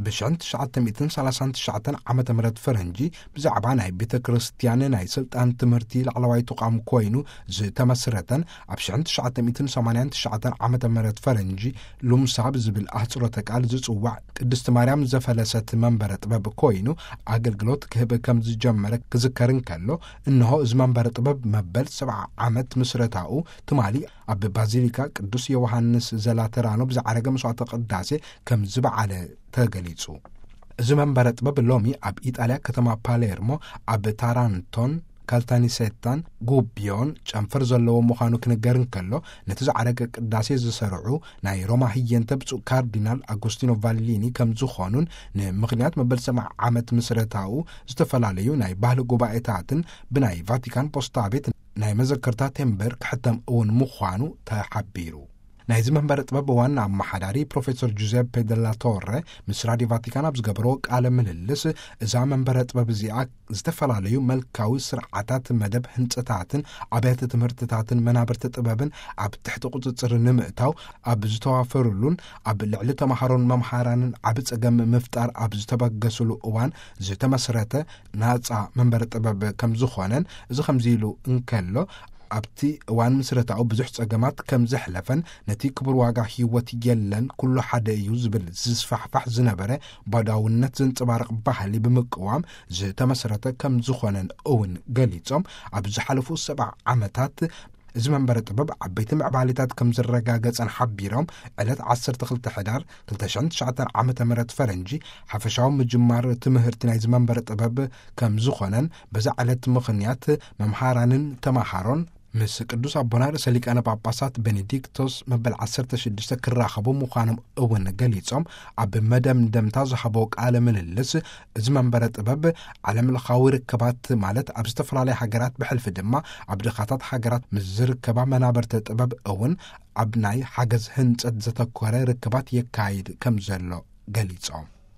ብ1939 ዓመተ ምህረት ፈረንጂ ብዛዕባ ናይ ቤተ ክርስቲያን ናይ ስልጣን ትምህርቲ ላዕለዋይ ተቋም ኮይኑ ዝተመስረተን ኣብ 1989 ዓመተ ምህረት ፈረንጂ ሉምሳ ብዝብል ኣህጽሮተ ቃል ዝጽዋዕ ቅድስቲ ማርያም ዘፈለሰት መንበረ ጥበብ ኮይኑ ኣገልግሎት ክህብ ከም ዝጀመረ ክዝከር እንከሎ፣ እንሆ እዚ መንበረ ጥበብ መበል ሰብዓ ዓመት ምስረታኡ ትማሊ ኣብ ባዚሊካ ቅዱስ ዮሃንስ ዘላተራኖ ብዝዓረገ መስዋዕተ ቅዳሴ ከም ዝበዓለ ተገሊጹ። እዚ መንበረ ጥበብ ሎሚ ኣብ ኢጣልያ ከተማ ፓሌርሞ፣ ኣብ ታራንቶን ካልታኒሴታን ጉቢዮን ጨንፈር ዘለዎ ምዃኑ ክንገር እንከሎ፣ ነቲ ዝዓረገ ቅዳሴ ዝሰርዑ ናይ ሮማ ህየንተ ብፁዕ ካርዲናል ኣጎስቲኖ ቫሊኒ ከም ዝኾኑን፣ ንምኽንያት መበል ሰብዓ ዓመት ምስረታኡ ዝተፈላለዩ ናይ ባህሊ ጉባኤታትን ብናይ ቫቲካን ፖስታ ቤት ናይ መዘከርታ ቴምበር ክሕተም እውን ምዃኑ ተሓቢሩ። ናይዚ መንበረ ጥበብ ዋና ኣመሓዳሪ ፕሮፌሰር ጁዜፔ ደላ ቶረ ምስ ራዲዮ ቫቲካን ኣብ ዝገበርዎ ቃለ ምልልስ፣ እዛ መንበረ ጥበብ እዚኣ ዝተፈላለዩ መልካዊ ስርዓታት፣ መደብ ህንጸታትን ኣብያተ ትምህርትታትን መናብርቲ ጥበብን ኣብ ትሕቲ ቁጽጽር ንምእታው ኣብ ዝተዋፈሩሉን ኣብ ልዕሊ ተምሃሮን መምሃራንን ዓቢ ጸገም ምፍጣር ኣብ ዝተበገስሉ እዋን ዝተመስረተ ናጻ መንበረ ጥበብ ከም ዝኾነን፣ እዚ ከምዚ ኢሉ እንከሎ፣ ኣብቲ እዋን ምስረታኡ ብዙሕ ጸገማት ከም ዘሕለፈን፣ ነቲ ክቡር ዋጋ ህይወት የለን፣ ኩሉ ሓደ እዩ ዝብል ዝስፋሕፋሕ ዝነበረ ባዳውነት ዘንጸባርቕ ባህሊ ብምቅዋም ዝተመስረተ ከም ዝኾነን እውን ገሊጾም፣ ኣብ ዝሓለፉ ሰብዓ ዓመታት እዚ መንበረ ጥበብ ዓበይቲ ምዕባሊታት ከም ዝረጋገጸን ሓቢሮም፣ ዕለት ዓሰርተ ክልተ ሕዳር ክልተ ሽሕን ትሽዓተን ዓመተ ምህረት ፈረንጂ ሓፈሻዊ ምጅማር ትምህርቲ ናይዚ መንበረ ጥበብ ከም ዝኾነን፣ በዛ ዕለት ምኽንያት መምሃራንን ተማሃሮን ምስ ቅዱስ ኣቦና ርእሰ ሊቃነ ጳጳሳት ቤኔዲክቶስ መበል ዓሰርተ ሽዱሽተ ክራኸቡ ምዃኖም እውን ገሊጾም፣ ኣብ መደምደምታ ዝሃቦ ቃለ ምልልስ፣ እዚ መንበረ ጥበብ ዓለም ለኻዊ ርክባት፣ ማለት ኣብ ዝተፈላለያ ሃገራት ብሕልፊ ድማ ኣብ ድኻታት ሃገራት ምስ ዝርከባ መናበርቲ ጥበብ እውን ኣብ ናይ ሓገዝ ህንጸት ዘተኮረ ርክባት የካይድ ከም ዘሎ ገሊጾም።